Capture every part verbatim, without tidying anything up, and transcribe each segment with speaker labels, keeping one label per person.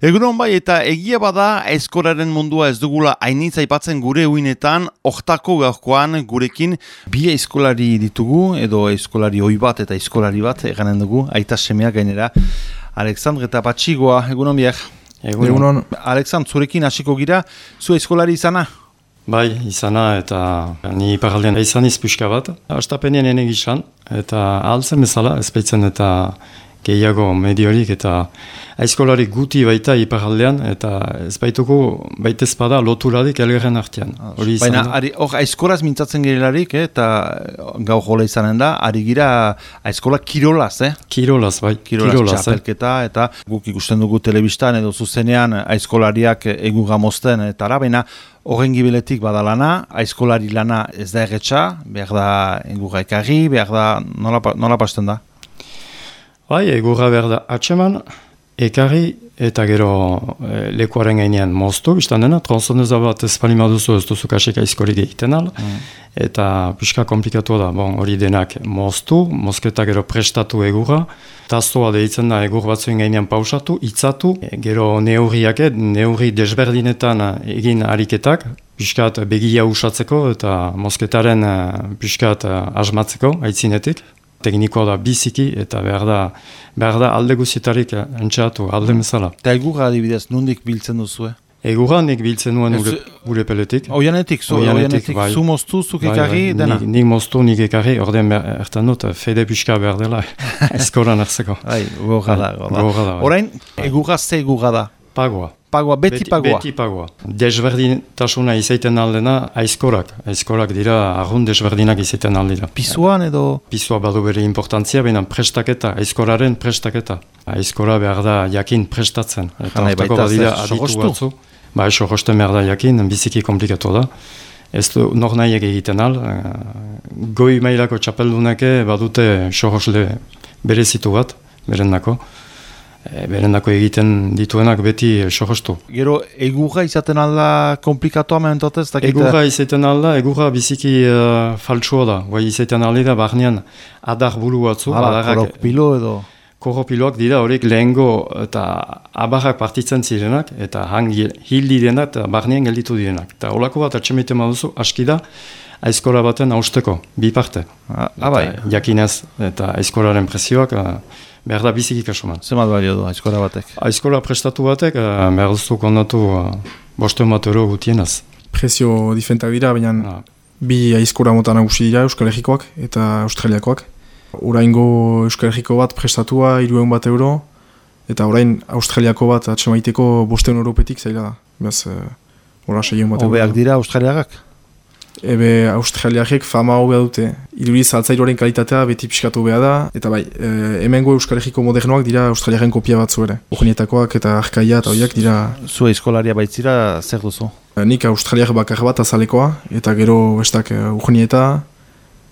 Speaker 1: Egunon bai, eta egia bada aizkolaren mundua ez dugula hainitz aipatzen gure uinetan, hortako gaurkoan gurekin bi aizkolari ditugu, edo aizkolari ohi bat eta aizkolari bat eganen dugu, aita semeak gainera. Alexandre eta Patxigoa, egunon biak.
Speaker 2: Egunon. egunon.
Speaker 1: Alexandre, zurekin hasiko gira, zu aizkolari izana?
Speaker 2: Bai, izana eta ni iparaldean izan izpuska bat. Astapenean ene gizan, eta ahaltzen bezala, ezpeitzen eta gehiago mediorik eta aizkolari guti baita iparaldean, eta ez baituko baitez bada loturadik elgerren artean.
Speaker 1: Baina hor aizkolaz mintzatzen girelarik, eh, eta gau jola izanen da, ari gira aizkola kirolaz, eh?
Speaker 2: Kirolaz, bai.
Speaker 1: Kirolaz,
Speaker 2: kirolaz
Speaker 1: txapelketa, eh? Eta guk ikusten dugu telebistan edo zuzenean aizkolariak egu gamozten, eta ara, baina horren gibiletik badalana, aizkolari lana ez da erretxa, behar da engurra ekarri, behar da, nola, nola pasten da?
Speaker 2: Bai, egurra behar da atseman, ekarri eta gero e, lekuaren gainean moztu, biztan dena, tronzoneza bat ez palimaduzu ez duzu kasek aizkorik egiten al, mm. eta pixka komplikatu da, bon, hori denak moztu, mozketa gero prestatu egurra, tazoa deitzen da egur batzuen gainean pausatu, itzatu, e, gero neurriak, neurri desberdinetan egin ariketak, piskat begia usatzeko eta mozketaren piskat asmatzeko, aitzinetik. Teknikoa da biziki eta behar da, behar da alde guztietarik entxatu, alde bezala.
Speaker 1: Eta egurra adibidez, nondik biltzen duzu, eh?
Speaker 2: Egurra nik biltzen nuen gure, gure peletik.
Speaker 1: Oianetik, zu, oianetik, bai. Zu moztu, zuk ekarri, bai, bai.
Speaker 2: dena? Nik, nik moztu, nik ekarri, ordean ertan dut, fede pixka behar dela, eskoran hartzeko.
Speaker 1: Bai, gorra da, gorra da. Orain, egurra ze egurra da?
Speaker 2: Pagoa.
Speaker 1: Pagoa, beti, beti pagoa?
Speaker 2: Beti pagoa. Desberdintasuna izaiten aldena aizkorak. Aizkorak dira, arrun desberdinak izaiten aldera.
Speaker 1: Pisuan edo?
Speaker 2: Pisua badu bere importantzia, baina prestaketa, aizkoraren prestaketa. Aizkora behar da jakin prestatzen. Eta hortako badira aditu batzu. Ba, eso rosten behar da jakin, biziki komplikatu da. Ez du nor nahiek egiten al. Goi mailako txapeldunake badute sorosle berezitu bat, berendako. E, berendako egiten dituenak beti sohostu.
Speaker 1: Gero, egurra izaten alda komplikatoa mementotez?
Speaker 2: Egurra izaten alda, egurra biziki uh, faltsua da. Guai izaten alda da, barnean adar bulu batzu.
Speaker 1: Hala, koropilo edo?
Speaker 2: Koropiloak dira horiek lehengo eta abarrak partitzen zirenak, eta hang hil direnak eta barnean gelditu direnak. Eta holako bat atxemiten baduzu, aski da, aizkola baten hausteko, bi parte.
Speaker 1: Ah, abai.
Speaker 2: Jakinez, eta aizkolaren presioak, uh, behar da biziki kasuman.
Speaker 1: Zemat balio du aizkola batek?
Speaker 2: Aizkola prestatu batek, uh, behar duztu kondatu uh, bosten bat euro gutienaz.
Speaker 3: Prezio diferentak dira, baina ah. bi aizkola mota nagusi dira Euskal Herrikoak eta Australiakoak. Oraingo Euskal Herriko bat prestatua hiruehun bat euro, eta orain Australiako bat atxemaiteko bosten europetik zaila da. Beraz, hola seiehun bat euro.
Speaker 1: Hobeak dira Australiagak?
Speaker 3: Ebe Australiarek fama hobea dute. Iduriz altzairoaren kalitatea beti pixkatu hobea da, eta bai, e, hemengo Euskal Herriko modernoak dira Australiaren kopia batzu ere. Urnietakoak eta arkaia eta horiak dira...
Speaker 1: Zu aizkolaria baitzira zer duzu?
Speaker 3: Nik Australiar bakar bat azalekoa, eta gero bestak urnieta,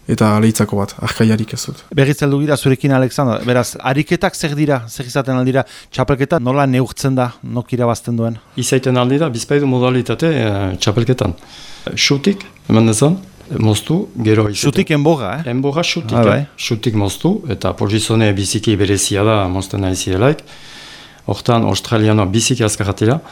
Speaker 3: eta lehitzako bat, arkaiarik ez dut.
Speaker 1: Berriz heldu gira zurekin, Alexandra. Beraz, ariketak zer dira, zer izaten aldira, txapelketa nola neurtzen da, nok irabazten duen?
Speaker 2: Izaiten aldira, bizpaidu modalitate e, txapelketan. Xutik, eman dezan, moztu, gero izaten.
Speaker 1: Xutik enboga, eh?
Speaker 2: Enboga xutik,
Speaker 1: ah,
Speaker 2: eh? Xutik moztu, eta pozizone biziki berezia da mozten nahizielaik. Hortan, australianoa biziki azkarratila,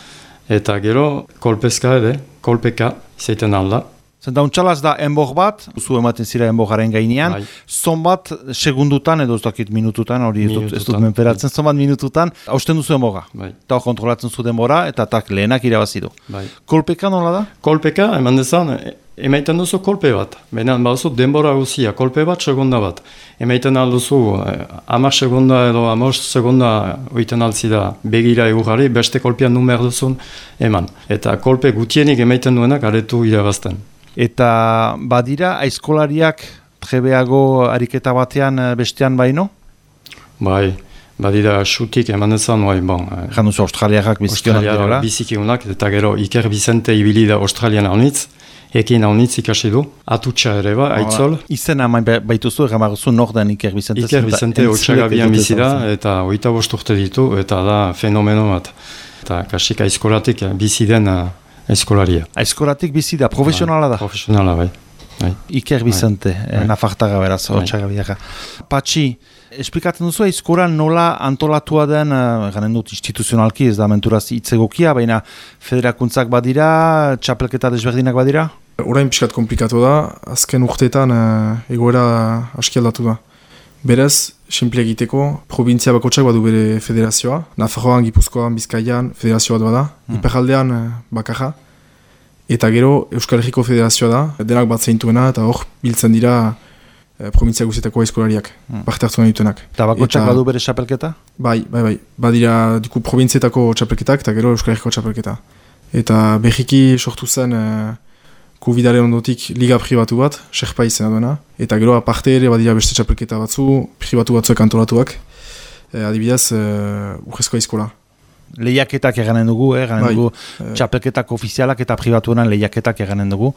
Speaker 2: eta gero kolpezka edo, kolpeka izaiten alda.
Speaker 1: Zenta untxalaz da enbor bat, zu ematen zira enboraren gainean, bai. Zon bat segundutan, edo ez dakit minututan, hori ez dut, ez dut menperatzen, zon bat minututan, hausten duzu enborra. Bai. Eta hor kontrolatzen zu denbora, eta tak lehenak irabazidu.
Speaker 2: Bai.
Speaker 1: Kolpeka nola da?
Speaker 2: Kolpeka, eman dezan, emaiten duzu kolpe bat. Baina baduzu denbora guzia, kolpe bat, segunda bat. Emaiten alduzu, hamar segunda edo hamar segunda oiten altzida begira egurari, beste kolpean numer duzun, eman. Eta kolpe gutienik emaiten duenak aretu irabazten.
Speaker 1: Eta badira aizkolariak trebeago ariketa batean bestean baino?
Speaker 2: Bai, badira xutik eman ezan, bai, bon.
Speaker 1: Egan duzu australiakak bizikionak dira?
Speaker 2: Bizikionak, eta gero Iker Bizente ibili da Australian haunitz, ekin haunitz ikasi du, atutxa ere ba, aitzol.
Speaker 1: Izena baituzu, egan baguzu nor den Iker Bizente?
Speaker 2: Iker Bizente otxagabian bizi da, eta oita bost urte ditu, eta da fenomeno bat. Eta kasik aizkolatik bizi den aizkolaria.
Speaker 1: Aizkolatik bizi da, profesionala da?
Speaker 2: Profesionala, bai.
Speaker 1: Iker Bizente, nafartaga beraz, otxagabiaka. Patxi, Esplikatzen duzu, aizkoran nola antolatua den, garen dut instituzionalki, ez da menturaz hitzegokia, baina federakuntzak badira, txapelketa desberdinak badira?
Speaker 3: Orain pixkat komplikatu da, azken urteetan egoera aski aldatu da. Berez, simple egiteko, provintzia bakotsak badu bere federazioa, Nafarroan, Gipuzkoan, Bizkaian, federazioa bat bada, hmm. Iparraldean bakarra, eta gero Euskal Herriko federazioa da, denak bat zeintuena, eta hor biltzen dira provintzia guzietako aizkolariak, hmm. parte hartu dituenak.
Speaker 1: Eta bakotsak badu bere txapelketa?
Speaker 3: Bai, bai, bai. Badira diku provintzietako txapelketak eta gero Euskal Herriko txapelketa. Eta berriki sortu zen uh, Covidaren ondotik liga pribatu bat, Sherpa izena duena. Eta gero aparte ere badira beste txapelketa batzu, pribatu batzuek antolatuak. Eh, adibidez, uh, urrezko aizkola.
Speaker 1: Lehiaketak eganen dugu, eh? eganen bai, dugu eh, txapelketak ofizialak eta pribatuenan lehiaketak eganen dugu,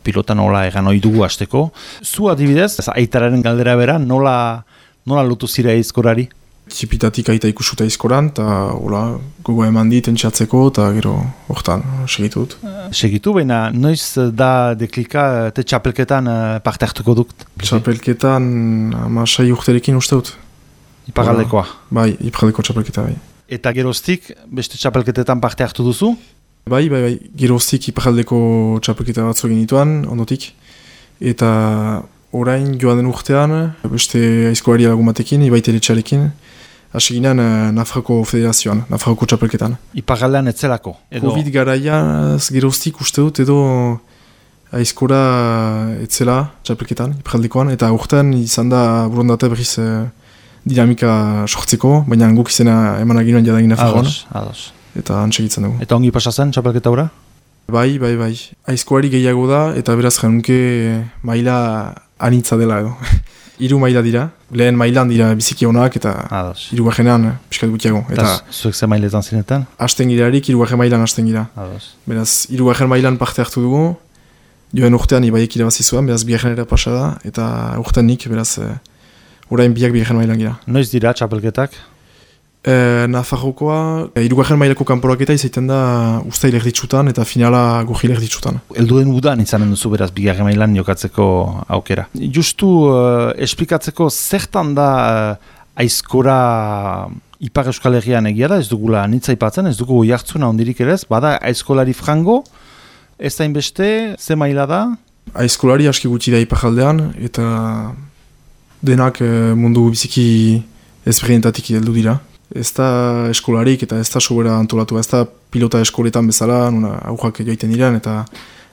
Speaker 1: pilotan nola egan ohi dugu hasteko. Zu adibidez, aitararen galdera bera, nola, nola lotu zira aizkorari?
Speaker 3: Txipitatik aita ikusuta aizkoran, eta gogo eman dit entxatzeko, eta gero hortan segitu dut.
Speaker 1: Segitu, baina noiz da deklika te txapelketan parte hartuko dut?
Speaker 3: Txapelketan amasai urterekin uste dut.
Speaker 1: Iparaldekoa?
Speaker 3: Bai, iparaldeko txapelketa bai.
Speaker 1: Eta geroztik, beste txapelketetan parte hartu duzu?
Speaker 3: Bai, bai, bai. Geroztik iparaldeko txapelketa batzu egin dituan, ondotik. Eta orain joan den urtean, beste aizkolari lagun batekin, ibaitere txalekin, hasi ginen Nafarroko federazioan, Nafarroko txapelketan.
Speaker 1: Iparaldean etzelako? Edo...
Speaker 3: Covid garaian geroztik uste dut, edo aizkora etzela txapelketan, iparaldekoan, eta urtean izan da burundate berriz dinamika sortzeko, baina guk izena eman aginuen jadagin Nafarroan.
Speaker 1: Ados, ados.
Speaker 3: Eta antsegitzen dugu.
Speaker 1: Eta ongi pasatzen txapelketa hura?
Speaker 3: Bai, bai, bai. Aizkoari gehiago da, eta beraz janunke maila anitza dela edo. Hiru maila dira, lehen mailan dira biziki honak, eta hirugarrenean pixkat gutiago.
Speaker 1: Eta zuek ze mailetan zinetan?
Speaker 3: Hasten girarik, hirugarren mailan hasten gira.
Speaker 1: Ados.
Speaker 3: Beraz, hirugarren mailan parte hartu dugu, joen urtean ibaiek irabazi zuen, beraz bigarrenera pasa da, eta urtean nik, beraz... Orain biak bigarren mailan gira.
Speaker 1: Noiz dira txapelketak?
Speaker 3: E, Nafarrokoa, e, irugarren mailako kanporaketa izaiten da ustail erditsutan eta finala gurgil erditsutan.
Speaker 1: Elduen udan izanen duzu beraz bigarren mailan jokatzeko aukera. Justu uh, esplikatzeko zertan da uh, aizkora Ipar Euskal Herrian egia da, ez dugula nitza ipatzen, ez dugu jartzuna ondirik ere ez, bada aizkolari frango, ez da inbeste, ze maila da?
Speaker 3: Aizkolari aski gutxi da Iparraldean eta... denak mundu biziki ezberdinetatik heldu dira. Ez da eskolarik eta ez da sobera antolatu, ez da pilota eskoletan bezala, nuna aurrak joiten diren eta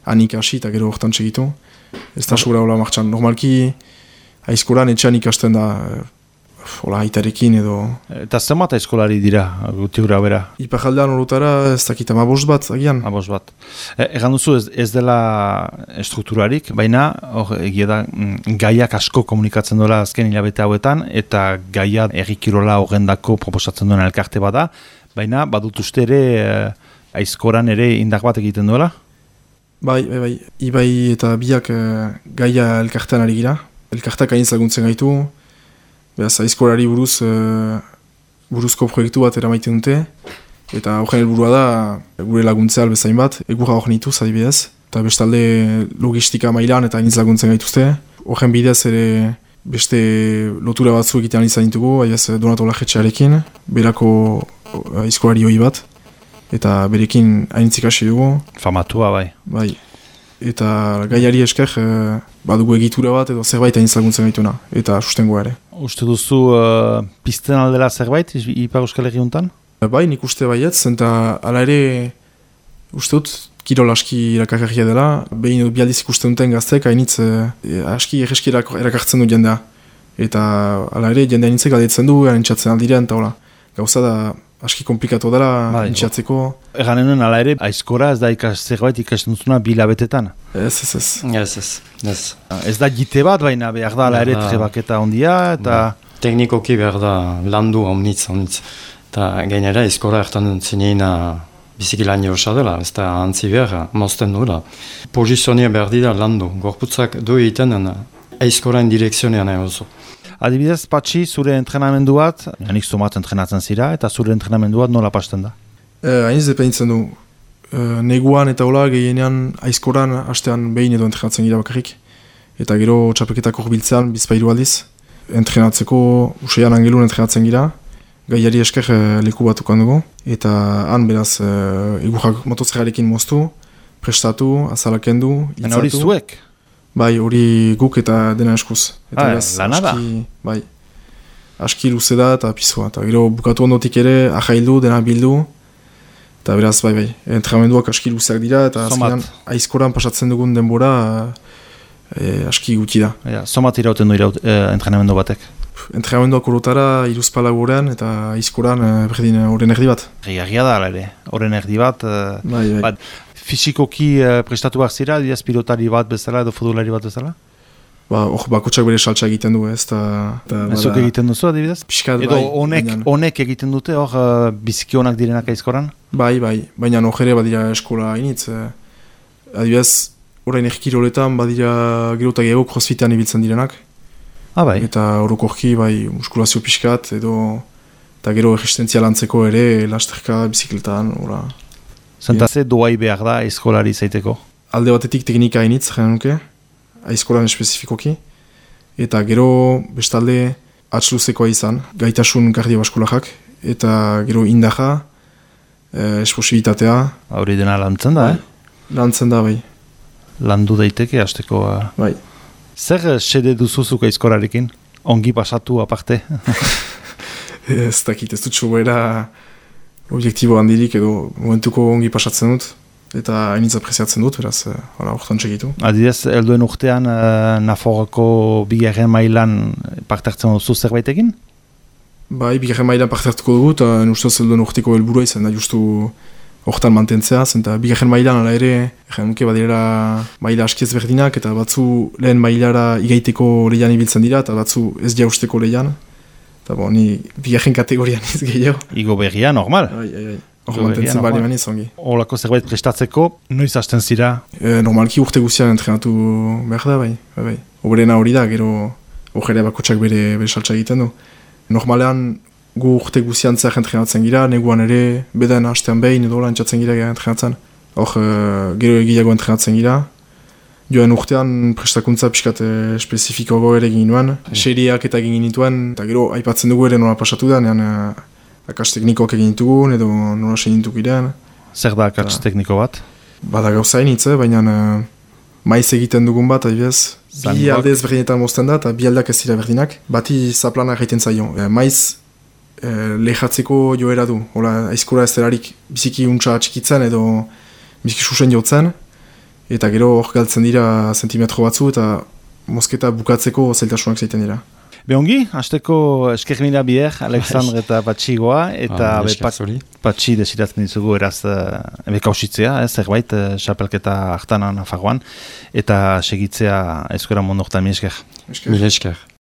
Speaker 3: hanik hasi eta gero hortan segitu. Ez da sobera hola martxan. Normalki aizkolan etxean ikasten da hola aitarekin edo...
Speaker 1: Eta zenbat aizkolari dira, guti gura bera?
Speaker 3: Iparraldean horretara ez dakit amabost bat agian.
Speaker 1: Amabost bat. E, egan duzu ez, ez dela estrukturarik, baina hor egia da gaiak asko komunikatzen dola azken hilabete hauetan, eta gaia errikirola horrendako proposatzen duen elkarte bada, baina badut uste ere aizkoran ere indar bat egiten duela?
Speaker 3: Bai, bai, bai. Ibai eta biak gaia elkartean ari gira. Elkarteak hain laguntzen gaitu, beraz, aizkolari buruz, uh, buruzko proiektu bat eramaiten dute, eta horren helburua da gure laguntzea albezain bat, egurra hor nituz adibidez, eta bestalde logistika mailan eta hainitz laguntzen gaituzte. Horren bidez ere beste lotura batzu egitean izan ditugu, adibidez Donato Lajetxearekin, berako aizkolari hoi bat, eta berekin hainitzik hasi dugu.
Speaker 1: Famatua bai.
Speaker 3: Bai. Eta gaiari esker eh, badugu egitura bat edo zerbait hain laguntzen gaituna, eta sustengoa ere.
Speaker 1: Uste duzu uh, pizten aldela zerbait, Ipar Euskal Herri honetan?
Speaker 3: Bai, nik uste baietz, eta ala ere uste dut kirol aski irakarria dela, behin bialdiz ikusten duten gaztek, hainitz eh, aski erreski erakartzen du jendea. Eta ala ere jendea hainitzek aldetzen du, hainitzatzen aldirean, eta hola. Gauza da aski komplikatu dela, hainitzatzeko.
Speaker 1: Eganenen ala ere, aizkora ez da ikas zerbait ikasten duzuna bilabetetan?
Speaker 3: Ez, ez, ez.
Speaker 2: Ez, ez. Ez,
Speaker 1: ez da gite bat, baina behar da ala ere trebaketa ondia, eta...
Speaker 2: Teknikoki behar da landu omnitz, omnitz. Eta gainera, aizkora ertan zineina biziki lan josa dela, ez da antzi behar, mozten duela. Pozizionia behar dira landu, gorputzak du egiten aizkorain direkzionean egozu.
Speaker 1: Adibidez, Patxi, zure entrenamendu bat, janik somat entrenatzen zira, eta zure entrenamendu bat nola pasten da?
Speaker 3: Hainiz eh, depenitzen du. Eh, neguan eta hola gehienean aizkoran hastean behin edo entrenatzen gira bakarrik. Eta gero txapelketak horbiltzean bizpairu aldiz. entrenatzeko, useian angelun entrenatzen gira, gaiari esker e, leku batukan dugu, eta han beraz e, igurrak motozerrarekin moztu, prestatu, azalakendu, itzatu.
Speaker 1: Baina hori zuek?
Speaker 3: Bai, hori guk eta dena eskuz. Eta
Speaker 1: ah,
Speaker 3: beraz,
Speaker 1: lana da?
Speaker 3: aski, bai, aski luze da eta pizua. Eta gero bukatu ondotik ere, ahaildu, dena bildu, eta beraz, bai, bai, entrenamenduak aski luzeak dira, eta azkenean aizkoran pasatzen dugun denbora e, aski guti da.
Speaker 1: Ja, somat irauten du iraut, e, entrenamendu batek?
Speaker 3: Entrenamenduak orotara, iruzpala gurean, eta aizkoran e, berdin horren erdi bat.
Speaker 1: Egia da, ere, horren erdi bat. E,
Speaker 3: bai, bai.
Speaker 1: Bat, fizikoki uh, prestatu behar zira, diaz pilotari bat bezala edo futbolari bat bezala?
Speaker 3: Ba, hor bakotxak bere saltsa egiten du, ez, eta...
Speaker 1: Ezok egiten duzu, adibidez?
Speaker 3: Piskat,
Speaker 1: edo
Speaker 3: bai,
Speaker 1: honek,
Speaker 3: baina...
Speaker 1: honek egiten dute, hor uh, biziki honak direnak aizkoran?
Speaker 3: Bai, bai, baina hor ere badira eskola hainitz. Eh, adibidez, orain erkiroletan badira gero eta gehiago crossfitean ibiltzen direnak.
Speaker 1: Ah, bai.
Speaker 3: Eta orokorki, bai, muskulazio piskat, edo... Eta gero resistentzia lantzeko ere, lasterka, bizikletan, ora...
Speaker 1: Zentaze doai behar da aizkolari zaiteko?
Speaker 3: Alde batetik teknika hainitz, jaren nuke, aizkolan espezifikoki. Eta gero bestalde atxluzekoa izan, gaitasun kardiobaskularrak, eta gero indaja, e, esposibitatea.
Speaker 1: Hori dena lantzen da, eh?
Speaker 3: Lantzen da, bai.
Speaker 1: Landu daiteke, hasteko... Uh...
Speaker 3: Bai.
Speaker 1: Zer sede duzuzuk aizkolarekin? Ongi pasatu aparte?
Speaker 3: Ez dakit, ez dut sobera... objektibo handirik edo momentuko ongi pasatzen dut eta hainitz apreziatzen dut, beraz, hala, hortan txekitu.
Speaker 1: Adidez, helduen urtean uh, Nafarroko bigarren mailan parte hartzen duzu zerbaitekin?
Speaker 3: Bai, bigarren mailan parte hartuko dugu eta nustez helduen urteko helburua izan da justu hortan mantentzea, zenta bigarren mailan ala ere, egin nuke badirela maila askiez berdinak eta batzu lehen mailara igaiteko lehian ibiltzen dira eta batzu ez jausteko lehian. Eta bo, ni bigarren kategorian ez gehiago.
Speaker 1: Igo berria, normal.
Speaker 3: Ai, ai, ai. Hor mantentzen bali maniz ongi.
Speaker 1: Olako zerbait prestatzeko, noiz hasten zira?
Speaker 3: E, normalki urte guztian entrenatu behar da, bai. bai, bai. Oberena hori da, gero hori bakotxak bere, bere saltsa egiten du. Normalean gu urte guztian zer entrenatzen gira, neguan ere, beden hastean behin edo lantzatzen gira entrenatzen. Hor, e, gero egiago entrenatzen gira. Joan urtean prestakuntza pixkat espezifikoago ere egin nuen, seriak eta egin nituen, eta gero aipatzen dugu ere nola pasatu da, nean akats teknikoak egin ditugun edo nola senintuk girean.
Speaker 1: Zer da akats tekniko bat?
Speaker 3: Bada gauza hainitze, baina maiz egiten dugun bat, adibidez, bi alde ez berdinetan mozten da, eta bi aldak ez dira berdinak, bati zaplana egiten zaio. E, maiz e, lehatzeko joera du, hola aizkora ez delarik biziki untsa txikitzen edo biziki susen jotzen, eta gero hor galtzen dira zentimetro batzu eta mozketa bukatzeko zailtasunak zaiten dira.
Speaker 1: Behongi, hasteko esker mila bier, Alexandre eta Patxigoa, eta
Speaker 2: ah,
Speaker 1: be, pat, Patxi desiratzen dizugu eraz uh, ebekausitzea, eh, zerbait, uh, xapelketa hartanan Nafarroan, eta segitzea aizkora mondoktan, mi esker.
Speaker 2: Mi esker.